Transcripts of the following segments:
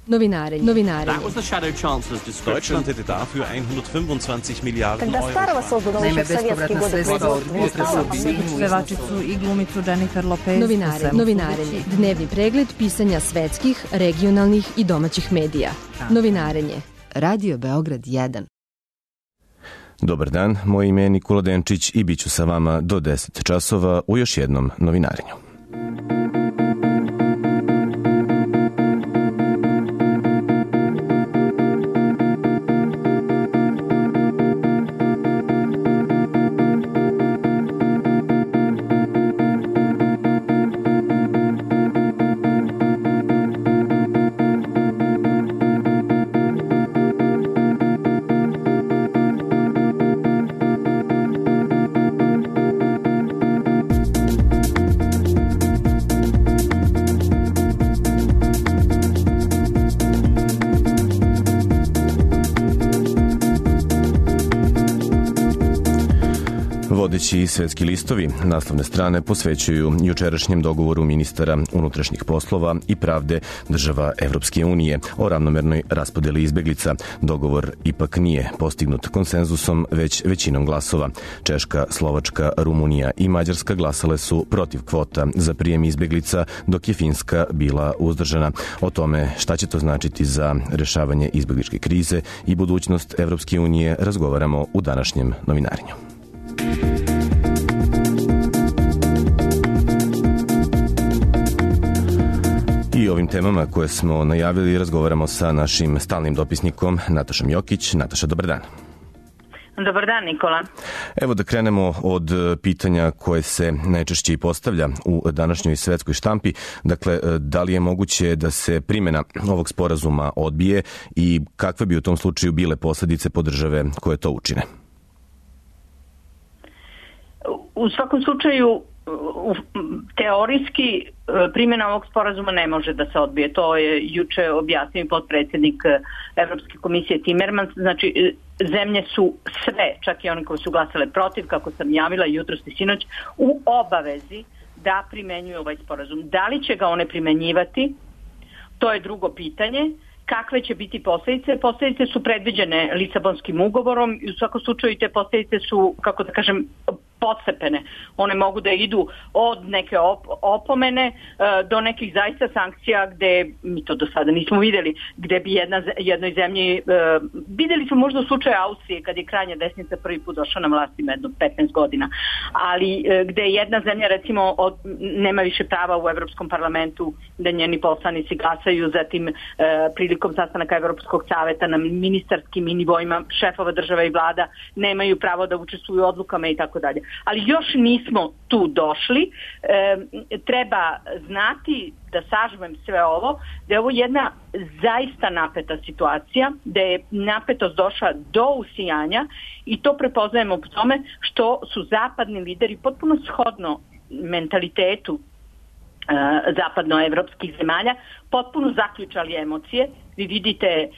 Novinarenje. Deutschland hätte dafür 125 Milijarden Euro. Naime, bespovratna sredstva od potresa pevačicu i glumicu Jennifer Lopez. Novinarenje. Dnevni pregled pisanja svetskih, regionalnih i domaćih medija. Novinarenje. Radio Beograd 1. Dobar dan, moje ime je Nikola Denčić i bit ću sa vama do 10 časova u još jednom novinarenju. Vodeći svetski listovi naslovne strane posvećuju jučerašnjem dogovoru ministara unutrašnjih poslova i pravde država Evropske unije o ravnomernoj raspodeli izbeglica. Dogovor ipak nije postignut konsenzusom, već većinom glasova. Češka, Slovačka, Rumunija i Mađarska glasale su protiv kvota za prijem izbeglica, dok je Finska bila uzdržana. O tome šta će to značiti za rešavanje izbegličke krize i budućnost Evropske unije razgovaramo u današnjem novinarenju. I ovim temama koje smo najavili razgovaramo sa našim stalnim dopisnikom Natašom Jokić. Nataša, dobar dan. Dobar dan, Nikola. Evo da krenemo od pitanja koje se najčešće i postavlja u današnjoj svetskoj štampi. Dakle, da li je moguće da se primjena ovog sporazuma odbije i kakve bi u tom slučaju bile posledice po države koje to učine? U svakom slučaju, teorijski primjena ovog sporazuma ne može da se odbije. To je juče objasnio potpredsjednik Evropske komisije Timmermans. Znači, zemlje su sve, čak i one koje su glasale protiv, kako sam javila jutros i sinoć, u obavezi da primenjuju ovaj sporazum. Da li će ga one primenjivati? To je drugo pitanje. Kakve će biti posljedice? Posljedice su predviđene Lisabonskim ugovorom i u svakom slučaju te posljedice su, kako da kažem, postepene. One mogu da idu od neke opomene do nekih zaista sankcija gde mi to do sada nismo videli, gde bi jednoj zemlji, videli smo možda u slučaju Austrije kad je krajnja desnica prvi put došla na vlast ima jedno 15 godina, ali gde jedna zemlja recimo nema više prava u Evropskom parlamentu da njeni poslanici glasaju, zatim prilikom sastanaka Evropskog saveta na ministarskim i nivoima šefova država i vlada nemaju pravo da učestvuju u odlukama i tako dalje. Ali još nismo tu došli. Treba znati, da sažmem sve ovo, da je ovo jedna zaista napeta situacija, da je napetost došla do usijanja i to prepoznajemo po tome što su zapadni lideri potpuno shodno mentalitetu zapadnoevropskih zemalja potpuno zaključali emocije. Vi vidite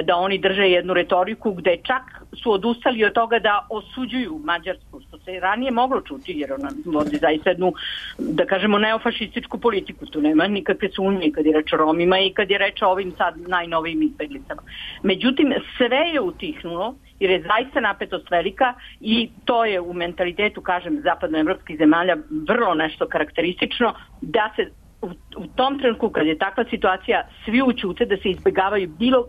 da oni drže jednu retoriku gde čak su odustali od toga da osuđuju Mađarsku, što se ranije moglo čuti, jer ona vodi zaista jednu, da kažemo, neofašističku politiku. Tu nema nikakve sumnje kad je reč o Romima i kad je reč o ovim sad najnovijim izbeglicama. Međutim, sve je utihnulo jer je zaista napetost velika i to je u mentalitetu, kažem, zapadnoevropskih zemalja vrlo nešto karakteristično, da se u tom trenutku kad je takva situacija svi ućute, da se izbjegavaju bilo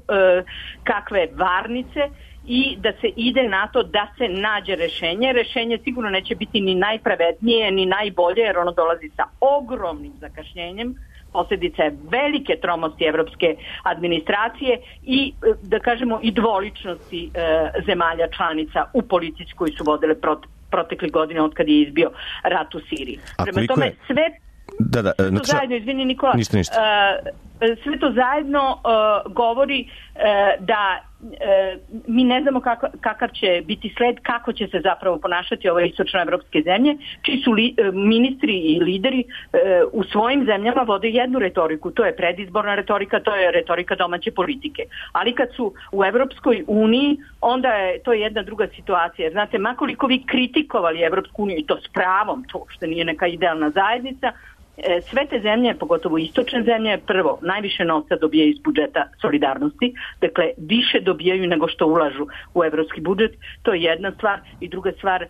kakve varnice i da se ide na to da se nađe rešenje. Rešenje sigurno neće biti ni najpravednije ni najbolje jer ono dolazi sa ogromnim zakašnjenjem. Posljedica je velike tromosti evropske administracije i, da kažemo, i dvoličnosti zemalja članica u politici koji su vodile protekle godine od kad je izbio rat u Siriji. Prema tome, sve to zajedno, izvini Nikola, sve to zajedno govori da mi ne znamo kakav će biti sled, kako će se zapravo ponašati ove istočnoevropske zemlje, čiji su ministri i lideri u svojim zemljama vode jednu retoriku, to je predizborna retorika, to je retorika domaće politike. Ali kad su u Evropskoj uniji, onda je to jedna druga situacija. Jer znate, makoliko vi kritikovali Evropsku uniju, i to s pravom, to što nije neka idealna zajednica, sve te zemlje, pogotovo istočne zemlje, prvo, najviše novca dobijaju iz budžeta solidarnosti, dakle, više dobijaju nego što ulažu u evropski budžet, to je jedna stvar. I druga stvar,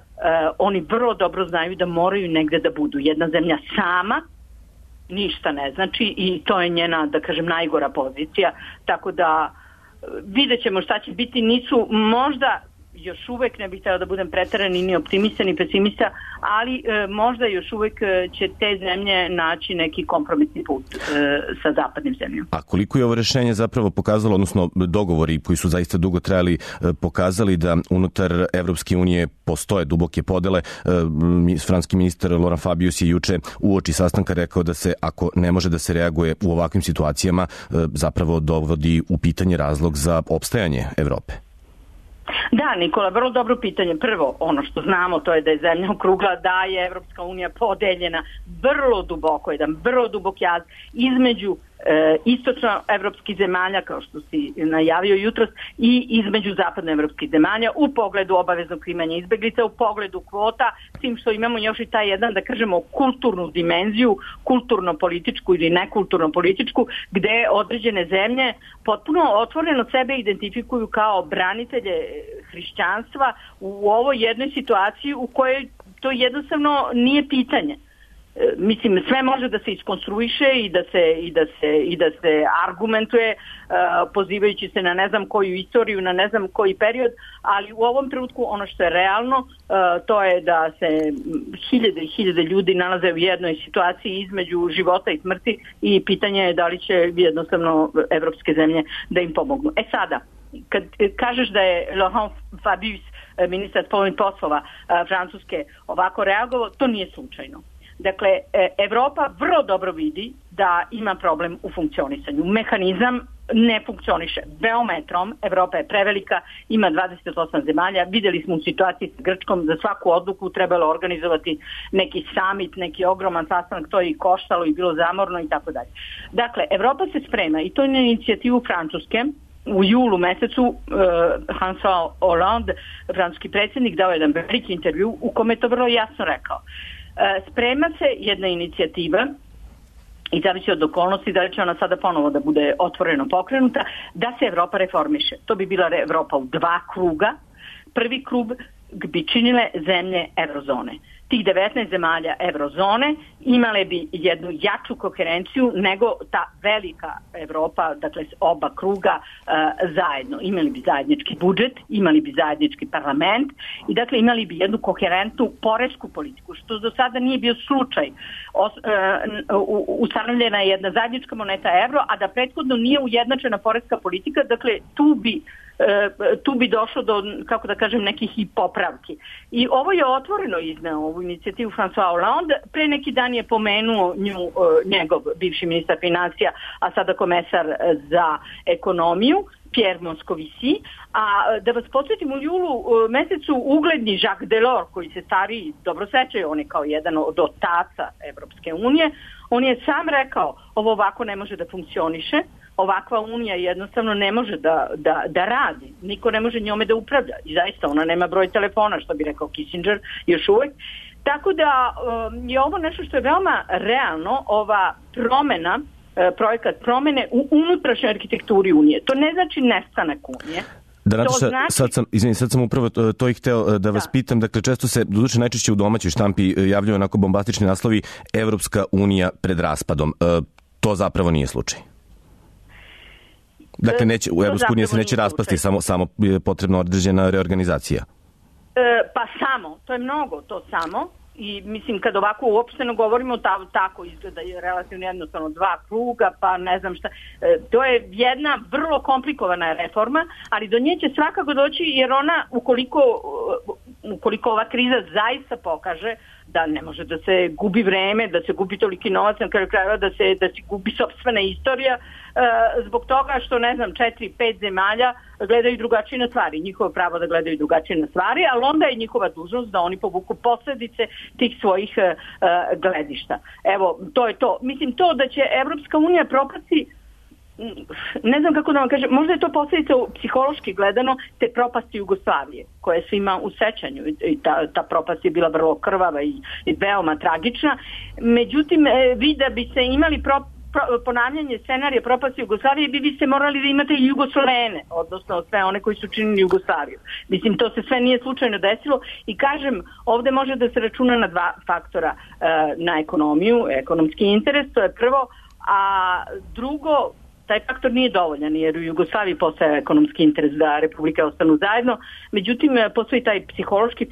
oni vrlo dobro znaju da moraju negde da budu. Jedna zemlja sama ništa ne znači i to je njena, da kažem, najgora pozicija, tako da vidjet ćemo šta će biti. Nisu možda još uvek, ne bih htjela da budem preterani ni optimista ni pesimista, ali možda još uvek će te zemlje naći neki kompromisni put sa zapadnim zemljama. A koliko je ovo rešenje zapravo pokazalo, odnosno dogovori koji su zaista dugo trajali, pokazali da unutar Evropske unije postoje duboke podele? Francuski ministar Laurent Fabius je juče uoči sastanka rekao da se, ako ne može da se reaguje u ovakvim situacijama, zapravo dovodi u pitanje razlog za opstajanje Evrope. Da, Nikola, vrlo dobro pitanje. Prvo, ono što znamo, to je da je zemlja okrugla, da je Evropska unija podeljena vrlo duboko, jedan vrlo dubok jaz između istočnoevropskih zemalja, kao što si najavio jutros, i između zapadnoevropskih zemalja u pogledu obaveznog primanja izbeglica, u pogledu kvota, s tim što imamo još i taj jedan, da kažemo, kulturnu dimenziju, kulturno-političku ili nekulturno-političku, gde određene zemlje potpuno otvoreno sebe identifikuju kao branitelje hrišćanstva u ovoj jednoj situaciji u kojoj to jednostavno nije pitanje. Mislim, sve može da se iskonstruiše i da se argumentuje pozivajući se na ne znam koju istoriju, na ne znam koji period, ali u ovom trenutku ono što je realno, to je da se hiljade i hiljade ljudi nalaze u jednoj situaciji između života i smrti i pitanje je da li će jednostavno evropske zemlje da im pomognu. Sada, kad kažeš da je Laurent Fabius, ministar spoljnih poslova Francuske, ovako reagovao, to nije slučajno. Dakle, Evropa vrlo dobro vidi da ima problem u funkcionisanju. Mehanizam ne funkcioniše. Veoma je trom, Evropa je prevelika, ima 28 zemalja, vidjeli smo u situaciji s Grčkom, za svaku odluku trebalo organizovati neki summit, neki ogroman sastanak, to je i koštalo i bilo zamorno i tako dalje. Dakle, Evropa se sprema i to je na inicijativu Francuske. U julu mesecu François Hollande, francuski predsjednik, dao jedan veliki intervju u kome je to vrlo jasno rekao. Sprema se jedna inicijativa i zavisi od okolnosti da li će ona sada ponovo da bude otvoreno pokrenuta, da se Evropa reformiše. To bi bila Evropa u 2 kruga. Prvi krug bi činile zemlje eurozone. Tih 19 zemalja eurozone imale bi jednu jaču koherenciju nego ta velika Evropa, dakle oba kruga zajedno. Imali bi zajednički budžet, imali bi zajednički parlament i dakle imali bi jednu koherentnu poresku politiku, što do sada nije bio slučaj. Ustanovljena je jedna zajednička moneta evro, a da prethodno nije ujednačena poreska politika, dakle tu bi došlo do, kako da kažem, nekih i popravki. I ovo je otvoreno izneo, ovu inicijativu François Hollande. Pre neki dan je pomenuo njegov bivši ministar financija, a sada komesar za ekonomiju, Pierre Moscovici, a da vas podsjetim, u julu mesecu ugledni Jacques Delors, koji se stariji dobro sećaju, on je kao jedan od otaca Evropske unije, on je sam rekao, ovo ovako ne može da funkcioniše, ovakva unija jednostavno ne može da radi, niko ne može njome da upravlja i zaista ona nema broj telefona, što bi rekao Kissinger još uvek. Tako da je ovo nešto što je veoma realno, ova promena, projekat promene u unutrašnjoj arhitekturi Unije. To ne znači nestanak Unije. Da, sad sam upravo to i hteo da vas pitam. Dakle, često se, doduše najčešće u domaćoj štampi javljaju onako bombastični naslovi Evropska unija pred raspadom. To zapravo nije slučaj. Dakle, u Evropsku uniju se neće raspasti, samo je potrebna određena reorganizacija. Pa samo, to je mnogo, to samo. I mislim, kad ovako uopšteno govorimo, tako izgleda je relativno jednostavno 2 kruga, pa ne znam šta. To je jedna vrlo komplikovana reforma, ali do nje će svakako doći, jer ona, ukoliko ova kriza zaista pokaže da ne može da se gubi vreme, da se gubi toliki novac, na kraju krajeva da se gubi sopstvena istorija, zbog toga što, ne znam, 4-5 zemalja gledaju drugačije na stvari. Njihovo pravo da gledaju drugačije na stvari, ali onda je njihova dužnost da oni povuku posledice tih svojih gledišta. Evo, to je to. Mislim, to da će Evropska unija propasti, ne znam kako da vam kažem, možda je to posljedica psihološki gledano te propasti Jugoslavije, koje se ima u sećanju i ta propast je bila vrlo krvava i veoma tragična. Međutim, vi da bi se imali ponavljanje scenarija propasti Jugoslavije, vi ste morali da imate i Jugoslovene, odnosno sve one koji su činili Jugoslaviju. Mislim, to se sve nije slučajno desilo i kažem, ovde može da se računa na dva faktora, na ekonomiju, ekonomski interes, to je prvo, a drugo, taj faktor nije dovoljan jer u Jugoslaviji postoje ekonomski interes da republike ostanu zajedno, međutim postoji taj psihološki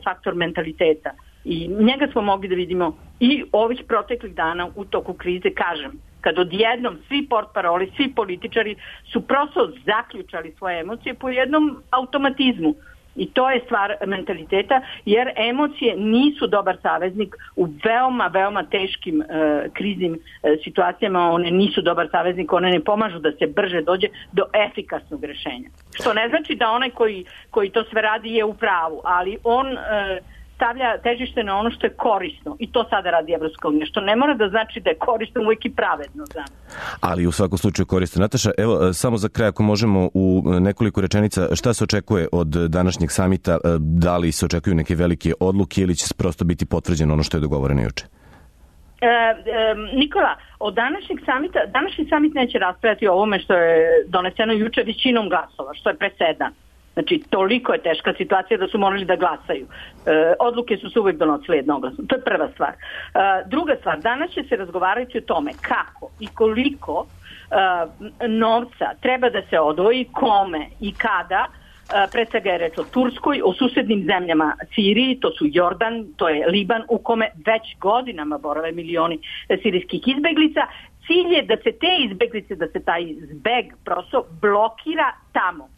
faktor mentaliteta i njega smo mogli da vidimo i ovih proteklih dana u toku krize, kažem, kad odjednom svi portparoli, svi političari su prosto zaključali svoje emocije po jednom automatizmu. I to je stvar mentaliteta, jer emocije nisu dobar saveznik u veoma, veoma teškim kriznim situacijama, one nisu dobar saveznik, one ne pomažu da se brže dođe do efikasnog rešenja. Što ne znači da onaj koji to sve radi je u pravu, ali on stavlja težište na ono što je korisno i to sada radi Evropska unija, što ne mora da znači da je korisno uvijek i pravedno. Ali u svakom slučaju korisno. Nataša, evo samo za kraj ako možemo u nekoliko rečenica, šta se očekuje od današnjeg samita, da li se očekuju neke velike odluke ili će prosto biti potvrđeno ono što je dogovoreno juče? Nikola, od današnji samit neće raspravljati o ovome što je doneseno juče većinom glasova, što je presedan. Znači, toliko je teška situacija da su morali da glasaju. Odluke su se uvijek donosile jednoglasno. To je prva stvar. Druga stvar, danas će se razgovarati o tome kako i koliko novca treba da se odvoji, kome i kada. Pre svega je reč o Turskoj, o susednim zemljama Siriji, to su Jordan, to je Liban, u kome već godinama borave milioni sirijskih izbeglica. Cilj je da se te izbeglice, da se taj zbeg prosto blokira tamo,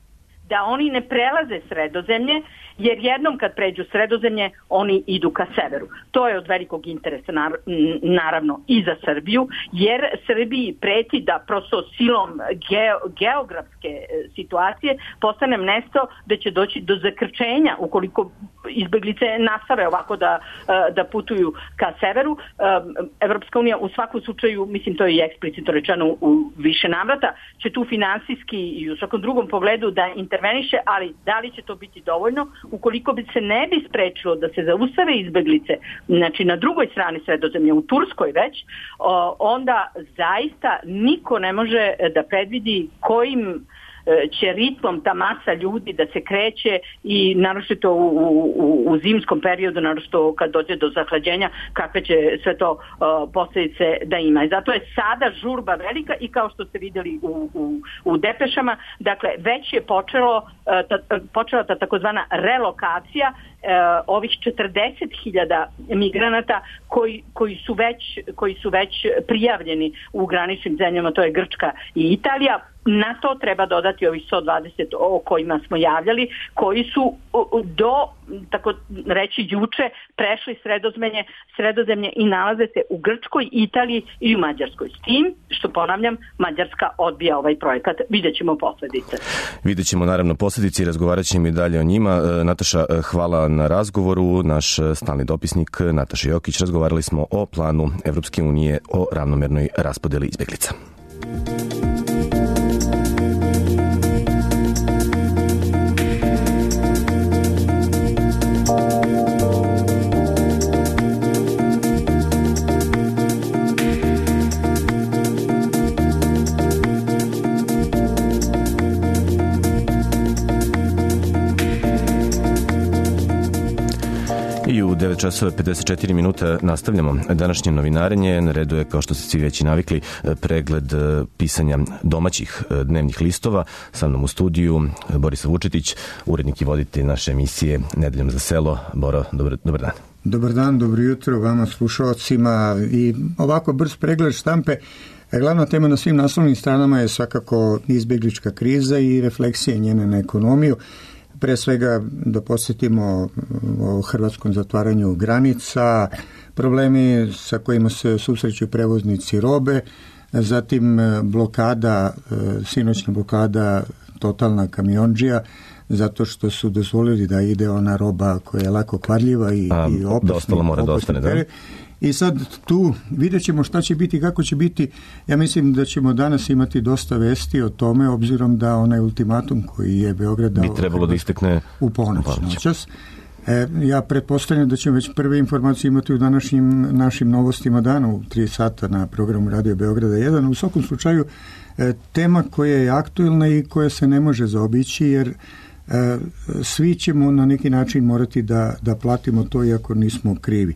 da oni ne prelaze Sredozemlje, jer jednom kad pređu Sredozemlje, oni idu ka severu. To je od velikog interesa, naravno, i za Srbiju, jer Srbiji preti da prosto silom geografske situacije postane mesto da će doći do zakrčenja ukoliko izbeglice nastave ovako da putuju ka severu. Evropska unija u svakom slučaju, mislim to je i eksplicitno rečeno u više navrata, će tu finansijski i u svakom drugom pogledu da interveniše, ali da li će to biti dovoljno? Ukoliko bi se ne bi sprečilo da se zaustave izbeglice, znači na drugoj strani Sredozemlja, u Turskoj već, onda zaista niko ne može da predvidi kojim će ritmom ta masa ljudi da se kreće i naročito u zimskom periodu, naročito kad dođe do zahlađenja, kakve će sve to posljedice da ima. I zato je sada žurba velika i kao što ste vidjeli u depešama, dakle već je počela ta takozvana relokacija ovih 40.000 migranata koji su već prijavljeni u graničnim zemljama, to je Grčka i Italija. Na to treba dodati ovih 120 o kojima smo javljali, koji su do, tako reći, juče prešli Sredozemlje i nalaze se u Grčkoj, Italiji i u Mađarskoj. S tim, što ponavljam, Mađarska odbija ovaj projekat. Vidjet ćemo posljedice. Vidjet ćemo naravno posljedice i razgovarat ćemo i dalje o njima. Nataša, hvala na razgovoru. Naš stalni dopisnik Nataša Jokić, razgovarali smo o planu Evropske unije o ravnomernoj raspodeli izbeglica. I u 9 časova 54 minuta nastavljamo današnje novinarenje. Na redu je, kao što ste svi već i navikli, pregled pisanja domaćih dnevnih listova. Sa mnom u studiju Borislav Vučetić, urednik i voditelj naše emisije Nedeljom za selo. Boro, dobar dan. Dobar dan, dobro jutro vama slušalcima i ovako brz pregled štampe. Glavna tema na svim naslovnim stranama je svakako izbjeglička kriza i refleksije njene na ekonomiju. Pre svega da posjetimo o hrvatskom zatvaranju granica, problemi sa kojima se susreću prevoznici robe, zatim blokada, sinoćna blokada totalna kamiondžija, zato što su dozvolili da ide ona roba koja je lako kvarljiva i opasna. Dostalo mora da ostane, da? I sad tu vidjet ćemo šta će biti, kako će biti. Ja mislim da ćemo danas imati dosta vesti o tome, obzirom da onaj ultimatum koji je Beograd dao bi trebalo da istekne u ponoć noćas. Ja pretpostavljam da ćemo već prve informacije imati u današnjim našim novostima dana u 3 sata na programu Radio Beograda 1. U svakom slučaju tema koja je aktuelna i koja se ne može zaobići, jer svi ćemo na neki način morati da platimo to iako nismo krivi.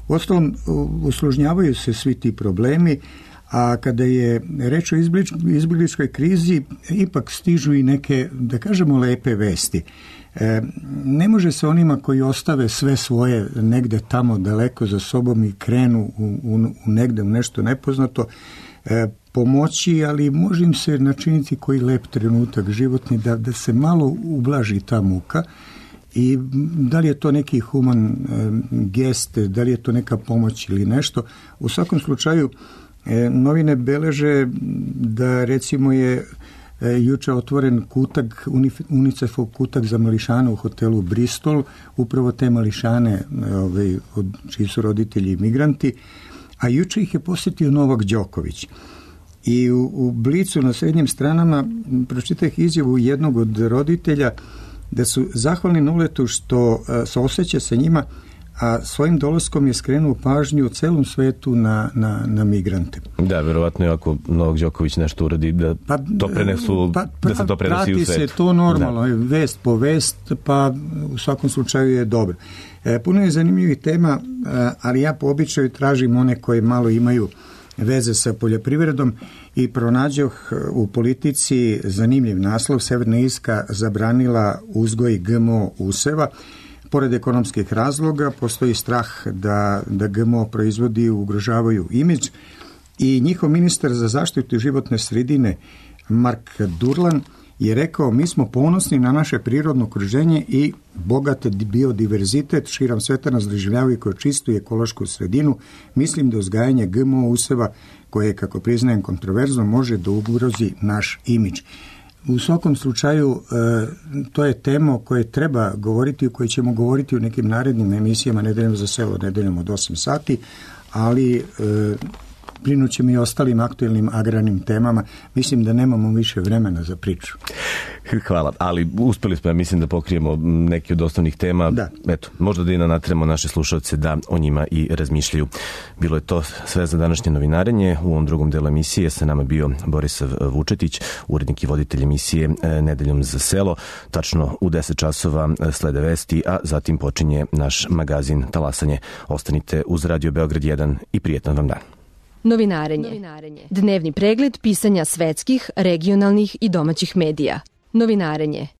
Uostalom, usložnjavaju se svi ti problemi, a kada je reč o izbjegličkoj krizi, ipak stižu i neke, da kažemo, lepe vesti. Ne može se onima koji ostave sve svoje negde tamo daleko za sobom i krenu negde u nešto nepoznato pomoći, ali može im se načiniti koji lep trenutak životni da se malo ublaži ta muka. I da li je to neki human gest, da li je to neka pomoć ili nešto. U svakom slučaju novine beleže da recimo je juče otvoren kutak, UNICEF-ov kutak za mališane u hotelu Bristol, upravo te mališane čiji su roditelji migranti, a juče ih je posjetio Novak Đoković. I u Blicu na srednjim stranama pročitah izjavu jednog od roditelja da su zahvalni Nuletu što se osjeća sa njima, a svojim dolaskom je skrenuo pažnju u celom svetu na migrante. Da, verovatno je ako Novak Đoković nešto uradi da to prenesu, da se to prenosi u svetu. Prati se to normalno, vest po vest, pa u svakom slučaju je dobro. Puno je zanimljivih tema, ali ja po običaju tražim one koje malo imaju veze sa poljoprivredom i pronađoh u Politici zanimljiv naslov. Severna Irska zabranila uzgoj GMO useva. Pored ekonomskih razloga postoji strah da GMO proizvodi ugrožavaju imidž i njihov ministar za zaštitu životne sredine Mark Durlan je rekao: mi smo ponosni na naše prirodno okruženje i bogat biodiverzitet širom sveta nas doživljavaju kao čistu i ekološku sredinu. Mislim da uzgajanje GMO useva, koje, kako priznajem, kontroverzno, može da ugrozi naš imidž. U svakom slučaju, to je tema o kojoj treba govoriti, o kojoj ćemo govoriti u nekim narednim emisijama Nedeljom za selo, nedeljom od 8 sati, ali brinut ćemo i ostalim aktuelnim agrarnim temama. Mislim da nemamo više vremena za priču. Hvala, ali uspeli smo, ja mislim, da pokrijemo neke od osnovnih tema. Da. Eto, možda da i natremo naše slušalce da o njima i razmišljaju. Bilo je to sve za današnje novinarenje. U ovom drugom delu emisije sa nama bio Borisav Vučetić, urednik i voditelj emisije Nedeljom za selo. Tačno u 10 časova slede vesti, a zatim počinje naš magazin Talasanje. Ostanite uz Radio Beograd 1 i prijetan vam dan. Novinarenje. Dnevni pregled pisanja svetskih, regionalnih i domaćih medija. Novinarenje.